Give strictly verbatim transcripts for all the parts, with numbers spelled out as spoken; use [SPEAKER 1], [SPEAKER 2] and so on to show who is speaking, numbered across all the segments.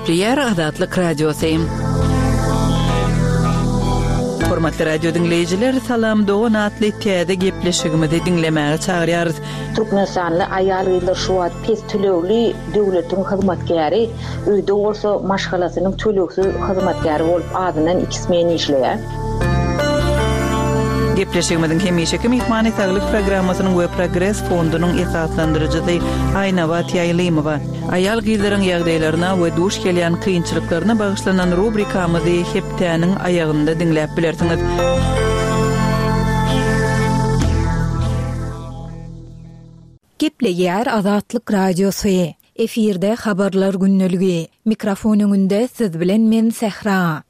[SPEAKER 1] Gepleýär Azatlyk Radiosy. Hormatly radio diňleýjiler, Salam dogan atly täze gepleşigimizi diňlemäge çagyrýarys.
[SPEAKER 2] Türkmenistanly aýal-gyzlar şu wagt pes tölegli döwletiň hyzmatkäri, öýde bolsa maşgalasynyň tölegsiz hyzmatkäri bolup azyndan iki smen işleýär.
[SPEAKER 1] Gepleşigimiziň hemişeki myhmany Saglyk programmasynyň we Progres fondunyň esaslandyryjysy Aýnabat Ýaýlymowa. Aýal-gyzlaryň ýagdaýlaryna we duş gelýän kynçylyklaryna bagyşlanan rubrikamyzy hepdäniň aýagynda diňläp bilersiňiz.
[SPEAKER 3] Gepleýär Azatlyk Radiosy. Efirde habarlar gündeligi. Mikrofon öňünde siz bilen men Sähra.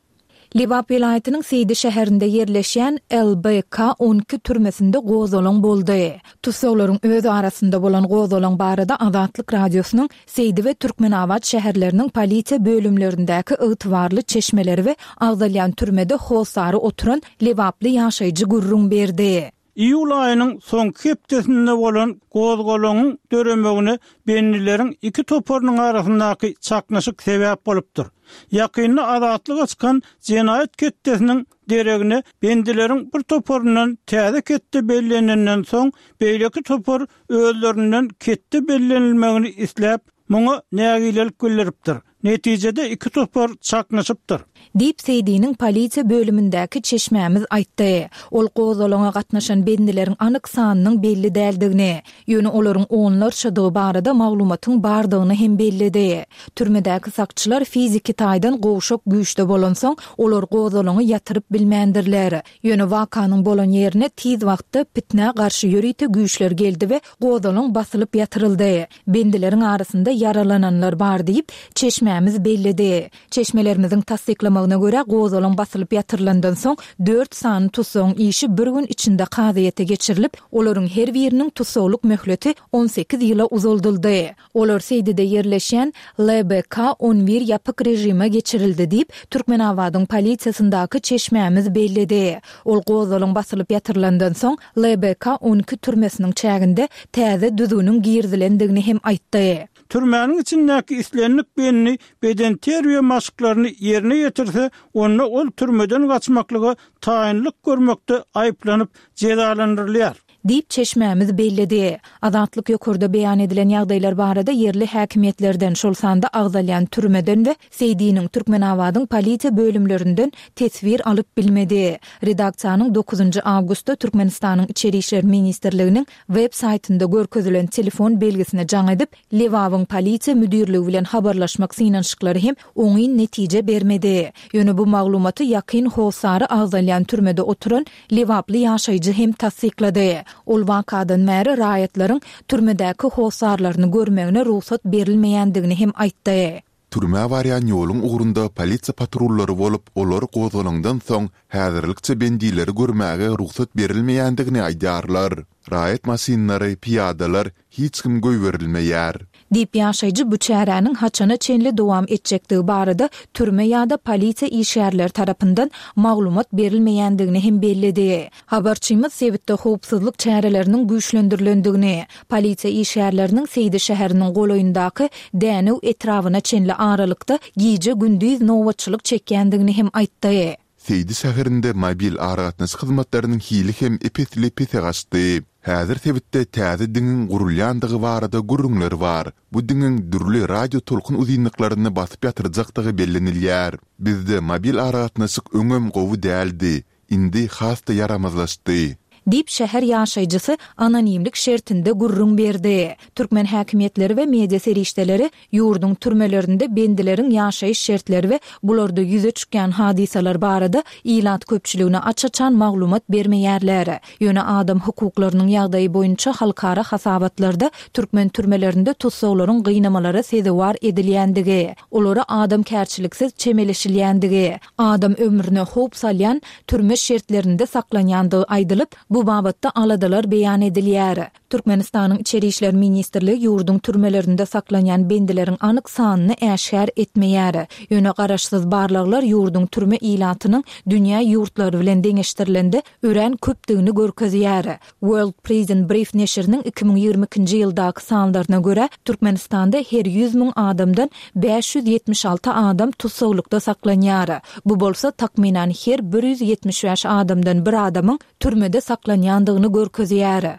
[SPEAKER 3] Lebap welaýatynyň Seýdi şäherinde ýerleşýän L B K on iki türmesinde gozgalaň boldy. Tussaglaryň öz arasynda bolan gozgalaň barada Azatlyk Radiosynyň Seýdi we Türkmenabat şäherleriniň polisiýa bölümlerindäki ygtybarly çeşmeleri we agzalýan türmede hossary oturan lebaply ýaşaýjy gürrüň berdi.
[SPEAKER 4] Iýul aýynyň soňky hepdesinde bolan gozgalaňyň döremegine bendileriň iki toparynyň arasyndaky çaknyşyk sebäp bolupdyr. Ýakynda azatlyga çykan jenaýat ketdesiniň deregine bendileriň bir toparyndan täze ketde bellenenden soň, beýleki topar özlerinden ketde bellenilmegini isläp, muňa nägilelik bildiripdir. Netijede iki topar çaknyşypdyr.
[SPEAKER 3] Diýip Seýdiniň polisiýa bölümindäki çeşmämiz aýtdy. Ol gozgalaňa gatnaşan bendileriň anyk sanynyň belli däldigini, ýöne olaryň onlarçadygy barada maglumatyň bardygyny hem belledi. Türmedäki sakçylar fiziki taýdan gowşak güýçde bolansoň, olar gozgalaňy ýatyryp bilmändirler. Ýöne wakanyň bolan ýerine tiz wagtda pitnä garşy ýörite güýçler geldi we gozgalaň basylyp ýatyryldy. Bendileriň arasynda ýaralananlar bar diýip, çeşmämiz belledi. Çeşmelerimiziň tassyklamagyna görä, gozgalaň basylyp ýatyrylandan soň dört sany tussagyň işi bir gün içinde kazyýete geçirilip, olaryň her biriniň tussaglyk möhleti on sekiz ýyla uzaldyldy. Olar Seýdide ýerleşýän L B K on bir ýapyk režime geçirildi diýip, Türkmenabadyň polisiýasyndaky çeşmämiz belledi. Ol gozgalaň basylyp ýatyrylandan soň L B K on iki türmesiniň çäginde täze düzgüniň girizilendigini hem aýtdy.
[SPEAKER 4] Türmäniň içindäki islendik bendi bedenterbiýe maşklaryny ýerine ýetirse, onda ol türmeden gaçmaklyga taýynlyk görmekde aýyplanyp jezalandyrylýar.
[SPEAKER 3] Diýip çeşmämiz belledi. Azatlyk ýokarda beýan edilen ýagdaýlar barada ýerli häkimiýetlerden, şol sanda agzalýan türmeden we Seýdiniň, Türkmenabadyň polisiýa bölümlerinden teswir alyp bilmedi. Redaksiýanyň dokuzynjy awgustda Türkmenistanyň Içeri işler ministrliginiň web saýtynda görkezilen telefon belgisine jaň edip, Lebabyň polisiýa müdirligi bilen habarlaşmak synanyşyklary hem oňyn netije bermedi. Ýöne bu maglumaty ýakyn hossary agzalýan türmede oturan lebaply ýaşaýjy hem tassyklady. Ol wakadan bäri raýatlaryň türmedäki hossarlaryny görmegine rugsat berilmeýändigini hem aýtdy.
[SPEAKER 5] Türmä barýan ýoluň ugrunda polisiýa patrullary bolup, olar gozgalaňdan soň häzirlikçe bendileri görmäge rugsat berilmeýändigini aýdýarlar. Raýat maşynlary, piýadalar hiç kim goýberilmeýär.
[SPEAKER 3] Diýip ýaşaýjy bu çäräniň haçana çenli dowam etjekdigi barada türme ýa-da polisiýa işgärleri tarapyndan maglumat berilmeýändigini hem belledi. Habarçymyz sebitde howpsuzlyk çäreleriniň güýçlendirilendigini, polisiýa işgärleriniň Seýdi şäheriniň golaýyndaky Dänew etrabyna çenli aralykda gije-gündiz nobatçylyk çekýändigini hem aýtdy.
[SPEAKER 5] Seýdi şäherinde mobil aragatnaşyk hyzmatlarynyň hili hem ep-esli pese gaçdy. Häzir sebitde täze diňiň gurulýandygy barada gürrüňler bar. Bu diňiň dürli radio tolkun uzynlyklaryny basyp ýatyrjakdygy bellenilýär. Bizde mobil aragatnaşyk öňem gowy däldi, indi has-da ýaramazlaşdy.
[SPEAKER 3] Diýip şäher ýaşaýjysy anonimlik şertinde gürrüň berdi. Türkmen häkimiýetleri we media serişdeleri ýurduň türmelerinde bendileriň ýaşaýyş şertleri we bularda ýüze çykýan hadysalar barada ilat köpçüligine aç-açan maglumat bermeýärler. Ýöne adam hukuklarynyň ýagdaýy boýunça halkara hasabatlarda türkmen türmelerinde tussaglaryň gynamalara sezewar edilýändigi, olara adamkärçiliksiz çemeleşilýändigi, adam ömrüne howp salýan türme şertlerinde saklanýandygy aýdylyp, Bu babatda aladalar beýan edilýär. Türkmenistanyň Içeri işler ministrligi ýurduň türmelerinde saklanýan bendileriň anyk sanyny äşgär etmeýär. Ýöne garaşsyz barlaglar ýurduň türme ilatynyň dünýä ýurtlary bilen deňeşdirilende örän köpdügini görkezýär. World Prison Brief neşiriniň iki müň ýigrimi ikinji ýyldaky sanlaryna görä, Türkmenistanda her ýüz müň adamdan bäş ýüz ýetmiş alty adam tussaglykda saklanýar. Bu bolsa takmynan her bir ýüz ýetmiş bäş adamdan bir adamyň türmede saklanýandygyny görkezýär.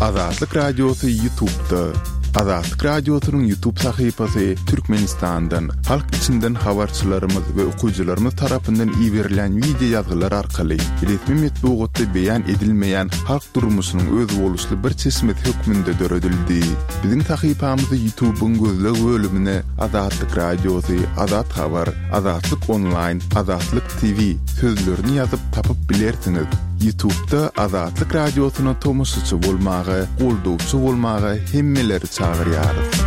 [SPEAKER 5] Azatlyk Radiosy YouTube'da. Azatlyk Radiosynyň YouTube sahypasy Türkmenistandan, halk içinden habarçylarymyz we okyjylarymyz tarapyndan iberilen wideo ýazgylar arkaly resmi metbugatda beýan edilmeýän halk durmuşynyň özboluşly bir çeşmesi hökmünde döredildi. Biziň sahypamyzy YouTube'yň gözleg bölümine Azatlyk Radiosy, Azat Habar, Azatlyk Onlaýn, Azatlyk T V sözlerini ýazyp tapyp bilersiňiz. YouTube'da Azatlyk Radiosyna tomaşaçy bolmaga, goldawçy bolmaga hemmeleri çagyrýarys.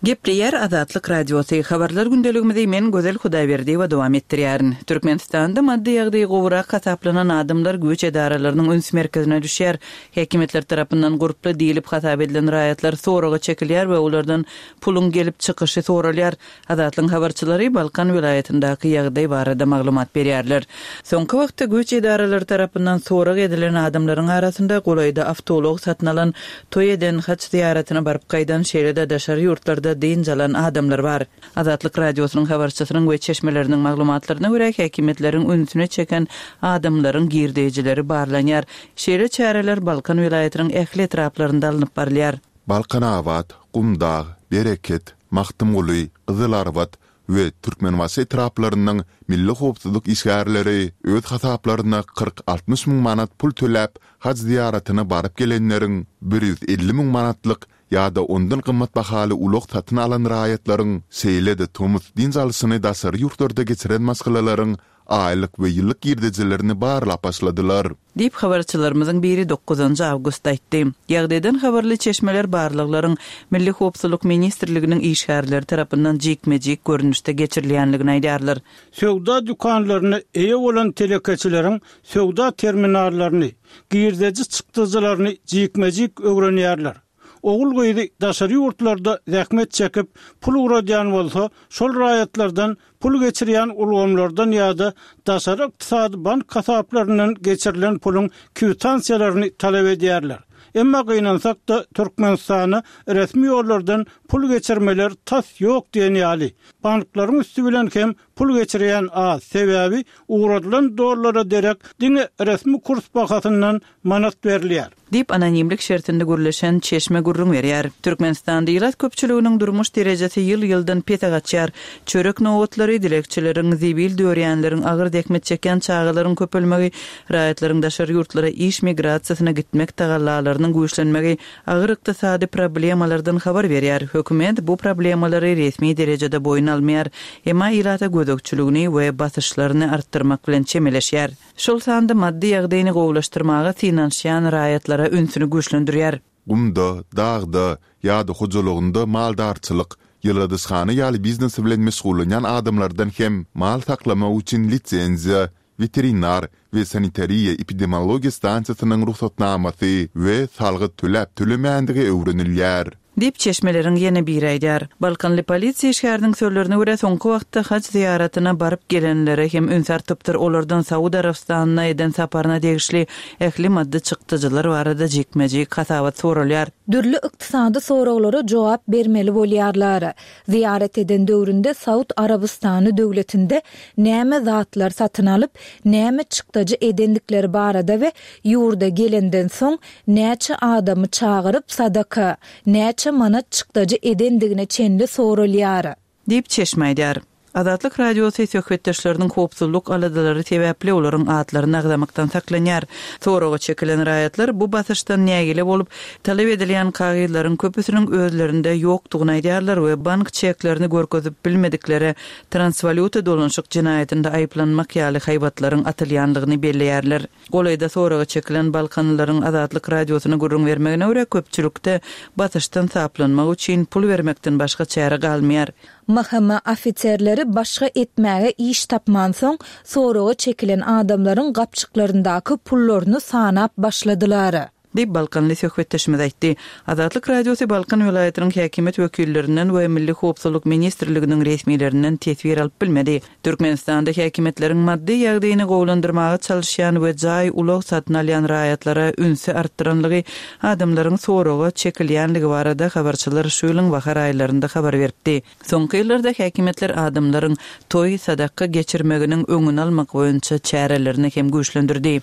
[SPEAKER 1] Gepleýär Azatlyk Radiosy. Habarlar gündeligimizi men Gözel Hudaýberdiýewa dowam etdirýärin. Türkmenistanda maddy ýagdaýy gowurak hasaplanan adamlar güýç edaralarynyň üns merkezine düşýär. Häkimiýetler tarapyndan gurply diýilip hasap edilen raýatlar soraga çekilýär we olardan puluň gelip çykyşy soralýar. Azatlyk habarçylary Balkan welaýatyndaky ýagdaý barada maglumat berýärler. Soňky wagtda güýç edaralary tarapyndan sorag edilen adamlaryň arasynda golaýda awtoulag satyn alan, toý eden, haç zyýaratyna baryp gaýdan, şeýle-de daşary ýurtlarda dynç alan adamlar bar. Azatlyk Radiosynyň habarçysynyň we çeşmeleriniň maglumatlaryna görä häkimiýetleriň ünsüne çeken adamlaryň girdejileri barlanýar. Şeýle çäreler Balkan welaýatynyň ähli etraplarynda alnyp barylýar.
[SPEAKER 5] Balkanabat, Gumdag, Bereket, Magtymguly, Gyzylarbat we Türkmenbaşy etraplarynyň milli howpsuzlyk işgärleri öz hasaplaryna kyrk altmyş müň manat pul töläp, hac zyýaratyna baryp gelenleriň bir ýüz elli müň manatlyk ýa-da ondan gymmat bahaly ulag satyn alan raýatlaryň, şeýle-de tomus dynç alşyny daşary ýurtlarda geçiren maşgalalaryň aýlyk we ýyllyk girdejilerini barlap başladylar.
[SPEAKER 1] Diýip habarçylarymyzyň biri dokuzynjy awgustda aýtdy. Ýagdaýdan habarly çeşmeler barlaglaryň Milli Howpsuzlyk Ministrliginiň işgärleri tarapyndan jikme-jik görnüşde geçirilýänligini aýdýarlar.
[SPEAKER 4] Söwda dükanlaryna eýe bolan telekeçileriň söwda terminallaryny, girdeji çykdyjylaryny jikme-jik öwrenýärler. Ogul gyzy daşary ýurtlarda zähmet çekip pul ugradýan bolsa, şol raýatlardan pul geçirýän ulgamlardan ýa-da daşary ykdysady bank hasaplaryndan geçirilen puluň kwitansiýalaryny talap edýärler. Emma gynansak da Türkmenistana resmi ýollardan pul geçirmeler tas ýok diýen ýaly. Banklaryň üstü bilen hem pul geçirýän az, sebäbi ugradylan dollara derek diňe resmi kurs bahasyndan manat berilýär.
[SPEAKER 1] Diýip anonimlik şertinde gürleşen çeşme gürrüň berýär. Türkmenistanda ilat köpçüliginiň durmuş derejesi ýyl-ýyldan pese gaçýar. Çörek nowatlary, dilekçileriň, zibil dörýänleriň, agyr zähmet çeken çagalaryň köpelmegi, raýatlaryň daşary ýurtlara iş migrasiýasyna gitmek tagallalarynyň güýçlenmegi agyr ykdysady problemalardan habar berýär. Hökümet bu problemalary resmi derejede boýun almaýar. Emma ilata gözegçiligini we basyşlaryny artdyrmak bilen çemeleşýär. Şol sanda maddy ýagdaýyny gowulaşdyrmaga synanyşýan raýatlara ünsüni güýçlendirýär.
[SPEAKER 5] Gumda, dagda ýa-da hojalygynda maldarçylyk, ýyladyşhana ýaly biznesi bilen meşgullanýan adamlardan hem mal saklamak üçin lisenziýa, weterinar we sanitariýa epidemiologiýa stansiýasynyň ruhsatnamasy we salgyt töläp tölemändigi öwrenilýär.
[SPEAKER 1] Diýip çeşmeleriň ýene biri aýdar. Balkanly polisiýa işgäriniň sözlerine görä soňky wagtda hac zyýaratyna baryp gelenlere hem üns artypdyr. Olardan Saud Arabystanyna eden saparyna degişli ähli maddy çykdyjylar barada jikme-jik hasabat soralýar.
[SPEAKER 3] Dürli ykdysady soraglara jogap bermeli bolýarlar. Zyýarat eden döwründe Saud Arabystany döwletinde näme zatlar satyn alyp, näme çykdajy edendikleri barada we ýurda gelenden soň näçe adamy çagyryp sadaka, näçe manat çykdajy edendigine çenli soralýar.
[SPEAKER 1] Diýip çeşme aýdar. Azatlyk Radiosy söhbetdeşleriniň howpsuzlyk aladalary sebäpli olaryň atlaryny agzamakdan saklanýar. Soraga çekilen raýatlar bu basyşdan nägile bolup, talap edilýän kagyzlaryň köpüsiniň özlerinde ýokdugyny aýdýarlar we bank çeklerini görkezip bilmediklere transwalýuta dolanşyk jenaýatynda aýyplanmak ýaly haýbatlaryň atylýanlygyny belleýärler. Golaýda soraga çekilen Balkanlylaryň Azatlyk Radiosyna gürrüň bermegine görä köpçülikde basyşdan saplanmak üçin pul bermekden başga çäre galmaýar.
[SPEAKER 3] M H M ofiserleri başga etmäge iş tapmansoň, soraga çekilen adamlaryň gapjyklaryndaky pullaryny sanap başladylar.
[SPEAKER 1] Diýip, balkanly söhbetdeşimiz aýtdy. Azatlyk Radiosy Balkan welaýatynyň häkimiýet wekillerinden we Milli howpsuzlyk ministrliginiň resmilerinden teswir alyp bilmedi. Türkmenistanda häkimiýetleriň maddy ýagdaýyny gowulandyrmaga çalyşýan we jaý, ulag satyn alýan raýatlara ünsi artdyranlygy, adamlaryň soraga çekilýänligi barada habarçylar şu ýylyň bahar aýlarynda habar beripdi. Soňky ýyllarda häkimiýetler adamlaryň toý, sadaka geçirmeginiň öňüni almak boýunça çärelerini hem güýçlendirdi.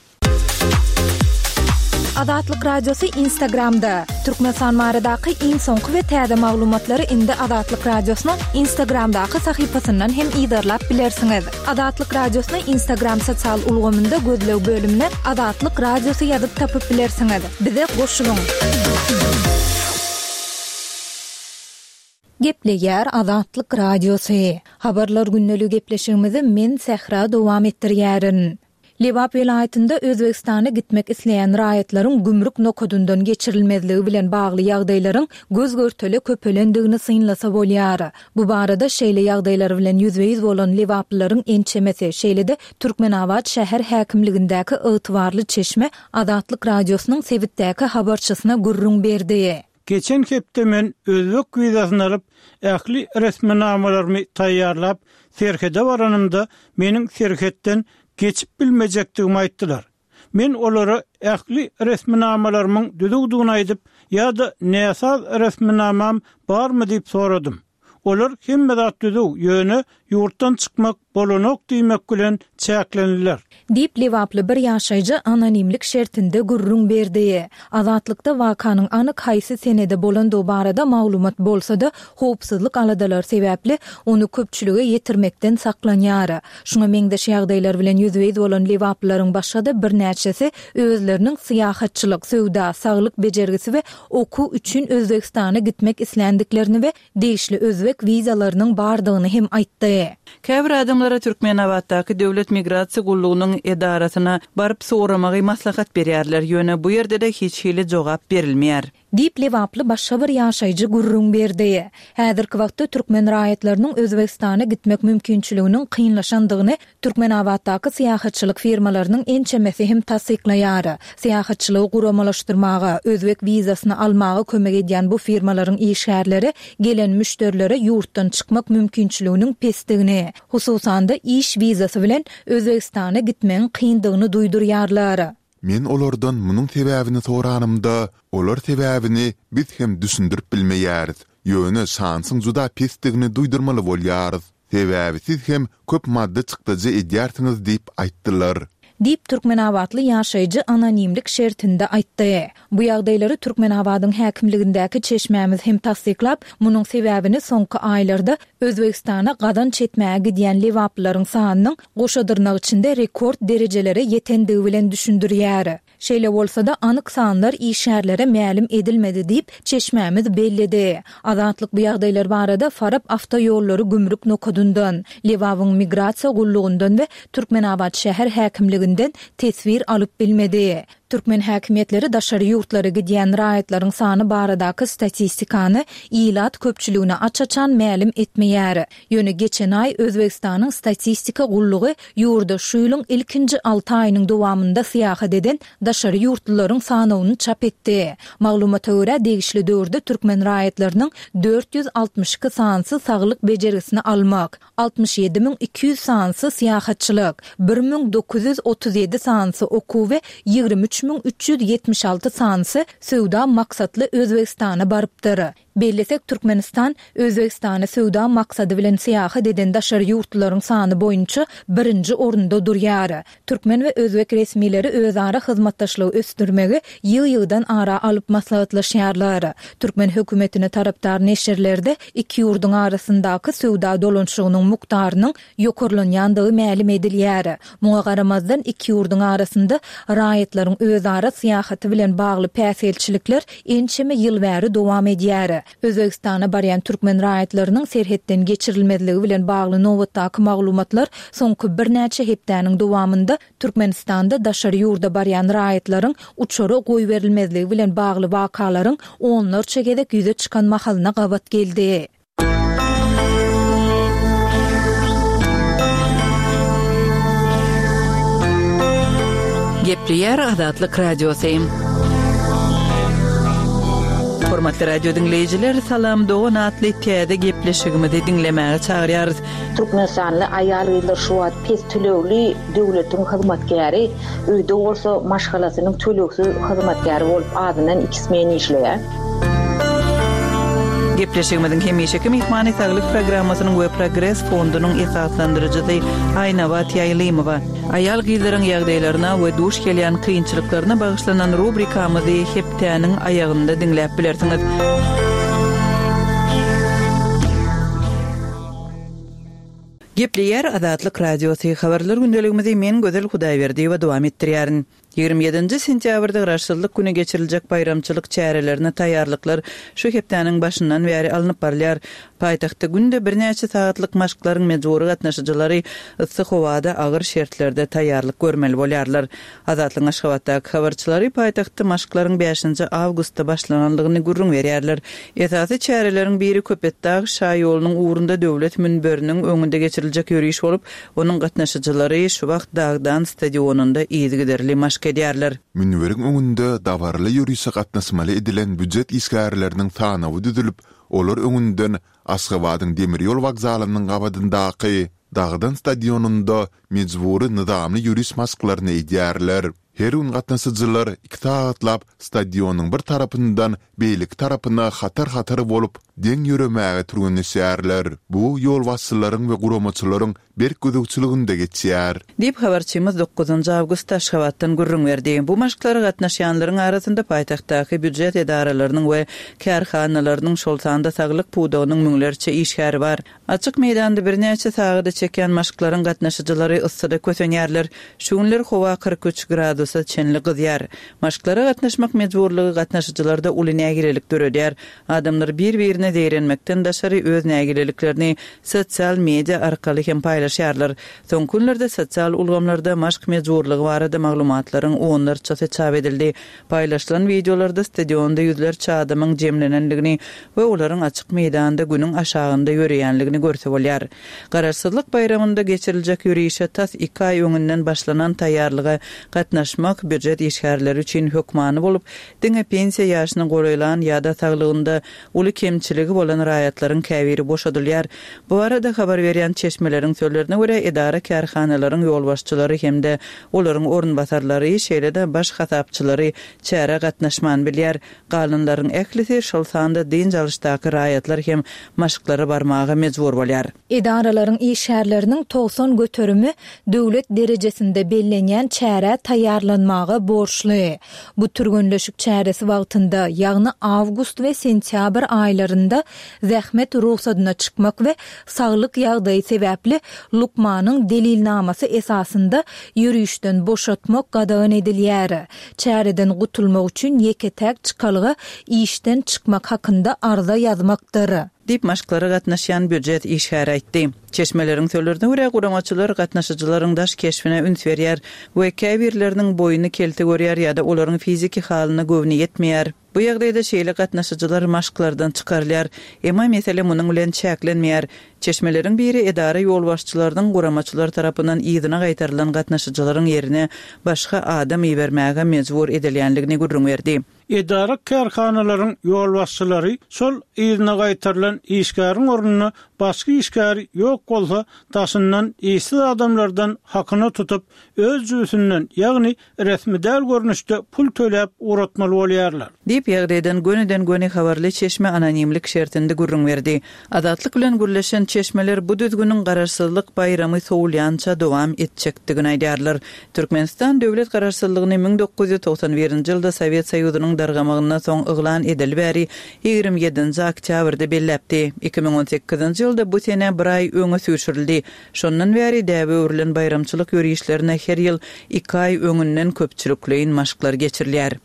[SPEAKER 3] Azatlyk Radiosy Instagramda. Türkmenistan baradaky iň soňky we täze maglumatlary indi Azatlyk Radiosynyň Instagramdaky sahypasyndan hem yzarlap bilersiňiz. Azatlyk Radiosyny Instagram sosial ulgamynda gözleg bölümine Azatlyk Radiosy ýazyp tapyp bilersiňiz. Bize goşulyň. Gepleýär Azatlyk Radiosy. Habarlar gündeligi gepleşigimizi men Sähra dowam etdirýärin. Lebap welaýatynda Özbegistana gitmek isleýän raýatlaryň gümrük nokadyndan geçirilmezligi bilen bagly ýagdaýlaryň göz-görtele köpelendigini synlasa bolýar. Bu barada şeýle ýagdaýlar bilen ýüzbe-ýüz bolan lebaplylaryň ençemesi, şeýle-de Türkmenabat şäher häkimligindäki ygtybarly çeşme Azatlyk Radiosynyň sebitdäki habarçysyna gürrüň berdi.
[SPEAKER 4] Geçen hepde men özbek wizasyny alyp, ähli resminamalarymy taýýarlap, serhede baranymda meniň serhetden geçip bilmejekdigimi aýtdylar. Men olara ähli resminamalarymyň düzüwdigini aýdyp, ýa-da näsaz resminamam barmy diýip soradym. Olar hemme zat düzüw, ýöne ýurtdan çykmak bolanok diýmek bilen çäklendiler.
[SPEAKER 3] Diýip lebaply bir ýaşaýjy anonimlik şertinde gürrüň berdi. Azatlykda wakanyň anyk haýsy senede bolandygy barada maglumat bolsa-da, howpsuzlyk aladalary sebäpli ony köpçülige ýetirmekden saklanýar. Şuňa meňzeş ýagdaýlar bilen ýüzbe-ýüz bolan lebaplylaryň başga-da birnäçesi özleriniň syýahatçylyk, söwda, saglyk bejergisi we okuw üçin Özbegistana gitmek isländiklerini we degişli özbek wizalarynyň bardygyny hem aýtdy.
[SPEAKER 1] Käbir adamlara Türkmenabatdaky Döwlet migrasiýa gullugynyň edarasyna baryp soramagy maslahat berýärler, ýöne bu ýerde-de hiç hili jogap berilmeýär.
[SPEAKER 3] Diýip lebaply başga bir ýaşaýjy gürrüň berdi. Häzirki wagtda türkmen raýatlarynyň Özbegistana gitmek mümkinçiliginiň kynlaşandygyny Türkmenabatdaky syýahatçylyk firmalarynyň ençemesi hem tassyklaýar. Syýahatçylygy guramalaşdyrmaga, özbek wizasyny almaga kömek edýän bu firmalaryň işgärleri gelen müşderilere ýurtdan çykmak mümkinçiliginiň pesdigini, hususan-da iş wizasy bilen Özbegistana gitmegiň kyndygyny duýdurýarlar.
[SPEAKER 5] Men olardan munuň sebäbini soranymda, olar sebäbini biz hem düşündirip bilmeýäris, ýöne şansyň juda pesdigini duýdurmaly bolýarys. Sebäbi siz hem köp maddy çykdajy edýärsiňiz diýip aýtdylar.
[SPEAKER 3] Diýip Türkmenabatly ýaşaýjy anonimlik şertinde aýtdy. Bu ýagdaýlary Türkmenabadyň häkimligindäki çeşmämiz hem tassyklap, munuň sebäbini soňky aýlarda Özbegistana gazanç etmäge gidýän lebaplylaryň sanynyň goşa dyrnak içinde rekord derejelere ýetendigi bilen düşündirýär. Şeýle bolsa-da, anyk sanlar işgärlere mälim edilmedi diýip, çeşmämiz belledi. Azatlyk bu ýagdaýlar barada Farap awtoýollary gümrük nokadyndan, Lebabyň migrasiýa gullugyndan we Türkmenabat şäher häkimliginden teswir alyp bilmedi. Türkmen häkimiýetleri daşary ýurtlara gidýän raýatlaryň sany baradaky statistikany ilat köpçüligine aç-açan mälim etmeýär. Ýöne geçen aý Özbegistanyň statistika gullugy ýurda şu ýylyň ilkinji alty aýynyň dowamynda syýahat eden daşary ýurtlularyň sanawyny çap etdi. Maglumata görä, degişli döwürde türkmen raýatlarynyň dört ýüz altmyş iki sanysy saglyk bejergisini almak, altmyş ýedi müň iki ýüz sanysy syýahatçylyk, bir müň dokuz ýüz otuz ýedi sanysy okuw we ýigrimi üç müň üç ýüz ýetmiş alty sanysy söwda maksatly Özbegistana barypdyr. Bellesek, Türkmenistan Özbegistana söwda maksady bilen syýahat eden daşary ýurtlularyň sany boýunça birinji orunda durýar. Türkmen we özbek resmileri özara hyzmatdaşlygy ösdürmegi ýygy-ýygydan ara alyp maslahatlaşýarlar. Türkmen hökümetine tarapdar neşirlerde iki ýurduň arasyndaky söwda dolanyşygynyň mukdarynyň ýokarlanýandygy mälim edilýär. Muňa garamazdan, iki ýurduň arasynda raýatlaryň özara syýahaty bilen bagly päsgelçilikler ençeme ýyl bäri dowam edýär. Özbegistana barýan türkmen raýatlarynyň serhetden geçirilmezligi bilen bagly nobatdaky maglumatlar soňky birnäçe hepdäniň dowamynda Türkmenistanda daşary ýurda barýan raýatlaryň uçara goýberilmezligi bilen bagly wakalaryň onlarça gezek ýüze çykan mahalyna gabat geldi.
[SPEAKER 1] Gepleýär Azatlyk Radiosy. Hormatly radio diňleýjiler, Salam dogan atly täze gepleşigimizi diňlemäge çagyrýarys.
[SPEAKER 2] Türkmenistanly aýal-gyzlar şu wagt pes tölegli döwletiň hyzmatkäri, öýde bolsa maşgalasynyň tölegsiz hyzmatkäri bolup azyndan iki smen işleýär.
[SPEAKER 1] Gepleşigimiziň hemişeki myhmany Saglyk programmasynyň we Progres fondunyň esaslandyryjysy Aýnabat Ýaýlymowa. Aýal-gyzlaryň ýagdaýlaryna we duş gelýän kynçylyklaryna bagyşlanan rubrikamyzy hepdäniň aýagynda diňläp bilersiňiz. Gepleýär Azatlyk Radiosy habarlar gündeligimizi men Gözel Hudaýberdiýewa dowam etdirýärin. Ýigrimi ýedinji sentýabrda Garaşsyzlyk güni geçiriljek baýramçylyk çärelerine taýýarlyklar şu hepdäniň başyndan bäri alnyp barylýar. Paýtagtda günde birnäçe sagatlyk maşklaryň mejbury gatnaşyjylary yssy howada agyr şertlerde taýýarlyk görmeli bolýarlar. Azatlygyň Aşgabatdaky habarçylary paýtagtda maşklaryň bäşinji awgustda başlanandygyny gürrüň berýärler. Esasy çäreleriň biri Köpetdag şaýolunyň ugrunda döwlet münberiniň öňünde geçiriljek ýöriş bolup, onuň gatnaşyjylary şu wagt Dagdan stadionynda yzygiderli maşk edýärler.
[SPEAKER 5] Münberiň öňünde dabaraly ýörişe gatnaşmaly edilen býujet işgärleriniň sanawy düzülip, olar öňünden Aşgabadyň demir ýol wokzalynyň gabadyndaky Dagdan stadionynda mejbury nyzamly ýöriş maşklaryny edýärler. Her gün gatnaşyjylar iki sagatlap stadionyň bir tarapyndan beýleki tarapyna hatar-hatar bolup, deň ýöremäge türgenleşýärler. Bu ýolbaşçylaryň we guramaçylaryň berk gözegçiliginde geçýär.
[SPEAKER 1] Diýip, habarçymyz dokuzynjy awgustda Aşgabatdan gürrüň berdi. Bu maşklara gatnaşýanlaryň arasynda paýtagtdaky býujet edaralarynyň we kärhanalarynyň, şol sanda saglyk pudagynyň müňlerçe işgäri bar. Açyk meýdanda birnäçe sagada çekýän maşklaryň gatnaşyjylary yssyda kösenýärler. Şu günler howa kyrk üç gradusa çenli gyzýar. Maşklara gatnaşmak mejburlygy gatnaşyjylarda uly nägilelik döredýär. Adamlar bir-birine zeýrenmekden daşary öz nägileliklerini sosial media arkaly hem paýlaşýarlar. Soňky günlerde sosial ulgamlarda maşk mejburlygy barada maglumatlaryň onlarçasy çap edildi. Paýlaşylan wideolarda stadionda ýüzlerçe adamyň jemlenendigini we olaryň açyk meýdanda günüň aşagynda ýöreýänligini görse bolýar. Garaşsyzlyk baýramynda geçiriljek ýörişe tas iki aý öňünden başlanan taýýarlyga gatnaşmak býujet işgärleri üçin hökmany bolup, diňe pensiýa ýaşyna golaýlan ýa-da saglygynda uly kemçiligi bolan raýatlaryň käbiri boşadylýar. Bu barada habar berýän çeşmeleriň sözlerine görä, edara-kärhanalaryň ýolbaşçylary hem-de olaryň orunbasarlary, şeýle-de baş hasapçylary çärä gatnaşman bilýär. Galanlaryň ählisi, şol sanda dynç alyşdaky raýatlar hem maşklara barmaga mejbur bolýar.
[SPEAKER 3] Edaralaryň işgärleriniň togsan göterimi döwlet derejesinde bellenýän çärä taýýarlanmaga borçly. Bu türgenleşik çäresi wagtynda, ýagny awgust we sentýabr aýlarynda zähmet rugsadyna çykmak we saglyk ýagdaýy sebäpli lukmanyň delilnamasy esasynda ýörişden boşatmak gadagan edilýär. Çäreden gutulmak üçin ýeke-täk çykalga işden çykmak hakynda arza ýazmakdyr.
[SPEAKER 1] Diýip, maşklara gatnaşýan býujet işgäri aýtdy. Çeşmeleriň sözlerine görä, guramaçylar gatnaşyjylaryň daş keşbine üns berýär we käbirleriniň boýuny kelte görýär ýa-da olaryň fiziki halyna göwni ýetmeýär. Bu ýagdaýda şeýle gatnaşyjylar maşklardan çykarylýar. Emma mesele munuň bilen çäklenmeýär. Çeşmeleriň biri edara ýolbaşçylarynyň guramaçylar tarapyndan yzyna gaýtarylan gatnaşyjylaryň ýerine başga adam ibermäge mejbur edilýändigini gürrüň berdi.
[SPEAKER 4] Edara-kärhanalaryň ýolbaşçylary şol yzyna gaýtarylan işgäriň ornuna başga işgäri ýok bolsa, daşyndan işsiz adamlardan hakyna tutup, öz jübüsinden, ýagny resmi däl görnüşde pul töläp ugratmaly bolýarlar.
[SPEAKER 1] Diýip, ýagdaýdan gönüden-göni habarly çeşme anonimlik şertinde gürrüň berdi. Azatlyk bilen gürleşen çeşmeler bu düzgüniň Garaşsyzlyk baýramy sowulýança dowam etjekdigini aýdýarlar. Türkmenistan döwlet Garaşsyzlygyny müň dokuz ýüz togsan birinji ýylda Sowet Soýuzynyň dargamagyndan soň yglan edeli bäri ýigrimi ýedinji oktýabrda belläpdi. Iki müň on sekizinji ýylda bu sene bir aý öňe süýşürildi. Şondan bäri däbe öwrülen baýramçylyk ýörişlerine her ýyl iki aý öňünden köpçülikleýin maşklar geçirilýär.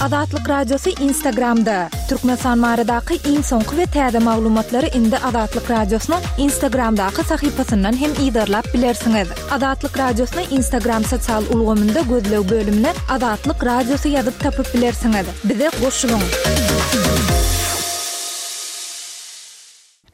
[SPEAKER 3] Azatlyk Radiosy Instagramda. Türkmenistan baradaky iň soňky we täze maglumatlary indi Azatlyk Radiosynyň Instagramdaky sahypasyndan hem yzarlap bilersiňiz. Azatlyk Radiosyny Instagram sosial ulgamynda gözleg bölümine Azatlyk Radiosy ýazyp tapyp bilersiňiz. Bize goşulyň.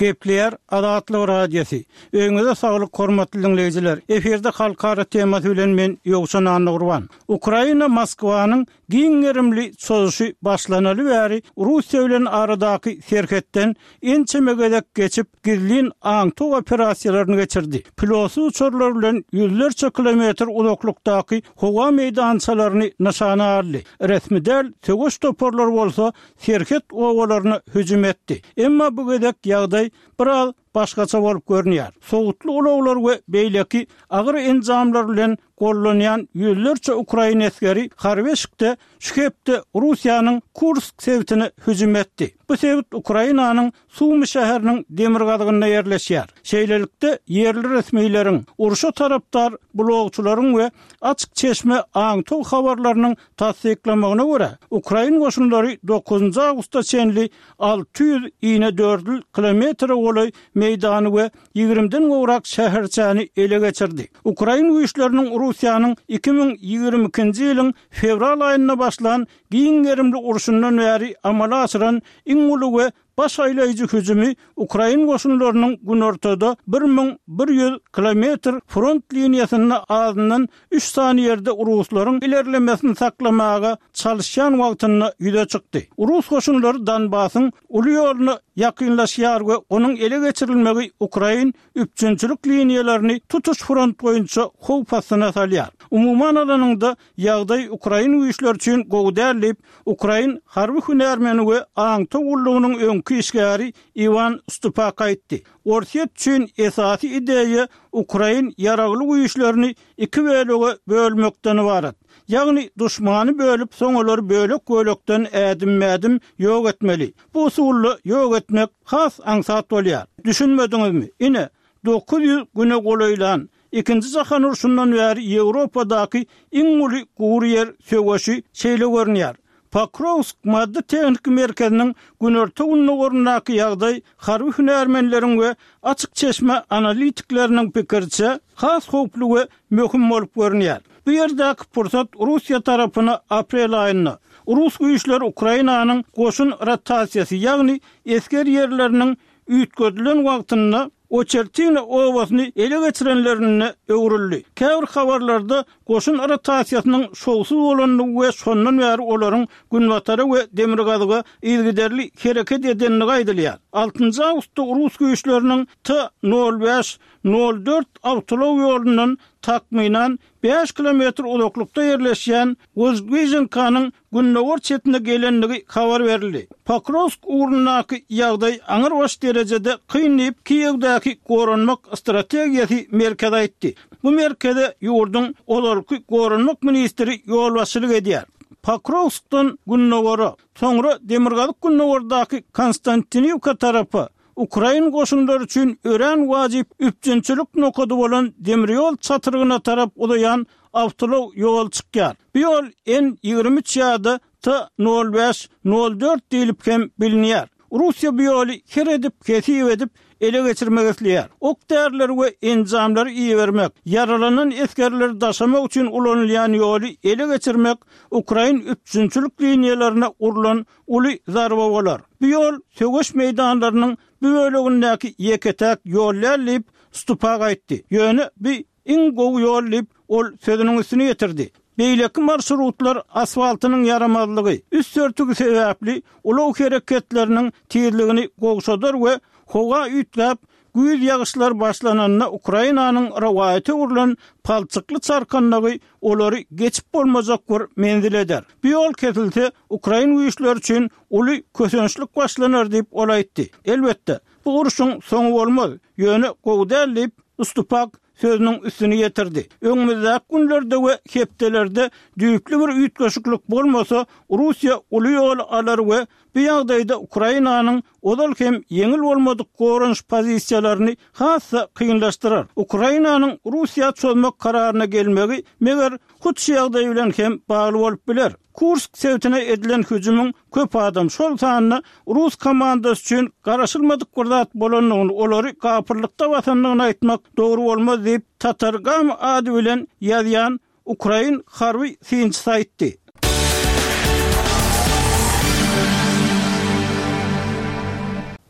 [SPEAKER 4] Gepleýär Azatlyk Radiosy. Öýüňize saglyk hormatly diňleýjiler. Efirde halkara temasy bilen men Ýowşan Annagurban. Ukraina Moskwanyň giň gerimli çozuşy başlanaly bäri Russiýa bilen aradaky serhetden ençeme gezek geçip gizlin aňtaw operasiýalaryny geçirdi. Pilotsyz uçarlar bilen ýüzlerçe kilometr uzaklykdaky howa meýdançalaryny nyşana aldy. Resmi däl söweş toparlary bolsa serhet obalaryna hüjüm etdi. Emma bu gezek ýagdaý biraz başgaça bolup görünýär. Sowutly ulaglar we beýleki agyr enjamlar bilen gollanýan ýüzlerçe ukrain esgeri harby eşikde şu hepde Russiýanyň Kursk sebitine hüjüm etdi. Bu sebit Ukrainanyň Sumy şäheriniň demirgazygynda ýerleşýär. Şeýlelikde, ýerli resmileriň, urşa tarapdar blogçylaryň we açyk çeşme aňtaw habarlarynyň tassyklamagyna görä, ukrain goşunlary dokuzynjy awgusta çenli alty ýüz inedördül kilometre golaý meýdany we ýigrimiden gowrak şäherçäni ele geçirdi. Ukrain güýçleriniň Russiýanyň iki müň ýigrimi ikinji ýylyň fewral aýynda başlan giň gerimli urşundan bäri amala aşyran iň uly we baş aýlaýjy hüjümi ukrain goşunlarynyň günortada bir müň bir ýüz kilometr front liniýasynda azyndan üç sany ýerde ruslaryň ilerlemesini saklamaga çalyşýan wagtynda ýüze çykdy. Rus goşunlary Donbasyň uly ýoluna ýakynlaşýar we onuň ele geçirilmegi ukrain üpjünçilik liniýalaryny tutuş front boýunça howp astyna salýar. Umuman alanyňda, ýagdaý ukrain güýçleri üçin gowy däl diýip, ukrain harby hünärmeni we aňtaw gullugynyň öňki işgäri Iwan Stupak aýtdy. Orsýet üçin esasy ideýa ukrain ýaragly güýçlerini iki bölege bölmekden ybarat. Ýagny duşmany bölüp, soň olary bölek-bölekden ädimme-ädim ýok etmeli. Bu usulda ýok etmek has aňsat bolýar. Düşünmediňizmi? Ine, dokuz ýüz güne golaýlan Ikinji jahan urşundan bäri Ýewropadaky iň uly gury ýer söweşi şeýle görünýär. Pokrowsk maddy-tehniki merkeziniň günorta-gündogaryndaky ýagdaý harby hünärmenleriň we açyk çeşme analitikleriniň pikiriçe, has howply we möhüm bolup görünýär. Bu ýerdäki pursat Russiýa tarapyna aprel aýynda, rus güýçleri Ukrainanyň goşun rotasiýasy, ýagny esger ýerleriniň üýtgedilen wagtynda Oçertino obasyny ele geçirenlerinde öwrüldi. Käbir habarlarda goşun rotasiýasynyň şowsuz bolandygy we şondan bäri olaryň günbatara we demirgazyga yzygiderli hereket edendigi aýdylýar. Altynjy awgustda rus güýçleriniň T nol bäş nol dört awtoulag ýolundan takmynan bäş kilometr uzaklykda ýerleşýän Wozdwiženkanyň gündogar çetine gelendigi habar berildi. Pokrowsk ugrundaky ýagdaý aňrybaş derejede kyn diýip, Kiýewdäki Goranmak strategiýasy merkezi aýtdy. Bu merkeze ýurduň ozalky goranmak ministri ýolbaşçylyk edýär. Pokrowskdan gündogara, soňra demirgazyk-gündogardaky Konstantiniwka tarapa, ukrain goşunlary üçin örän wajyp üpjünçilik nokady bolan demirýol çatrygyna tarap uzaýan awtoulag ýoly çykýar. Bu ýol N ýigrimi üç ýa-da T nol bäş nol dört diýlip hem bilinýär. Russiýa bu ýoly her edip, hesip edip ele geçirmek isleýär. Ok-därileri we enjamlary ibermek, ýaralanan esgerleri daşamak üçin ulanylýan ýoly ele geçirmek ukrain üpjünçilik liniýalaryna urlan uly zarba bolar. Bu ýol söweş meýdanlarynyň bu bölegindäki ýeke-täk ýol däl diýip, Stupak aýtdy. Ýöne bu iň gowy ýol diýip, ol sözüniň üstüni ýetirdi. Beýleki marşrutlar asfaltynyň ýaramazlygy, üst örtügi sebäpli ulag hereketleriniň tizligini gowşadar we howa üýtgäp, güýz ýagyşlary başlananda Ukrainanyň rowaýata öwrülen palçykly çarkandagy olary geçip bolmajak bir menzil eder. Bu ýol kesilse, ukrain güýçleri üçin uly kösençlik başlanar diýip, ol aýtdy. Elbetde, bu urşuň soňy bolmaz, ýöne gowy däl diýip, Stupak sözüniň üstüni ýetirdi. Öňümizdäki günlerde we hepdelerde düýpli bir üýtgeşiklik bolmasa, Russiýa uly ýoly alar we bu ýagdaýda Ukrainanyň ozal hem ýeňil bolmadyk goranyş pozisiýalaryny has-da kynlaşdyrar. Ukrainanyň Russiýa çozmak kararyna gelmegi, meger, hut şu ýagdaý bilen hem bagly bolup biler. Kursk sebitine edilen hüjümiň köp adam, şol sanda rus komandasy üçin garaşylmadyk bir zat bolandygyny, olary gapyllykda basandygyny aýtmak dogry bolmaz diýip, Tatargam ady bilen ýazýan ukrain harby synçysy aýtdy.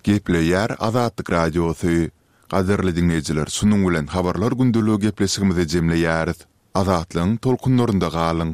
[SPEAKER 5] Gepleýär Azatlyk Radiosy. Gadyrly diňleýjiler, şunuň bilen Habarlar gündeligi gepleşigimizi jemleýäris. Azatlygyň tolkunlarynda galyň!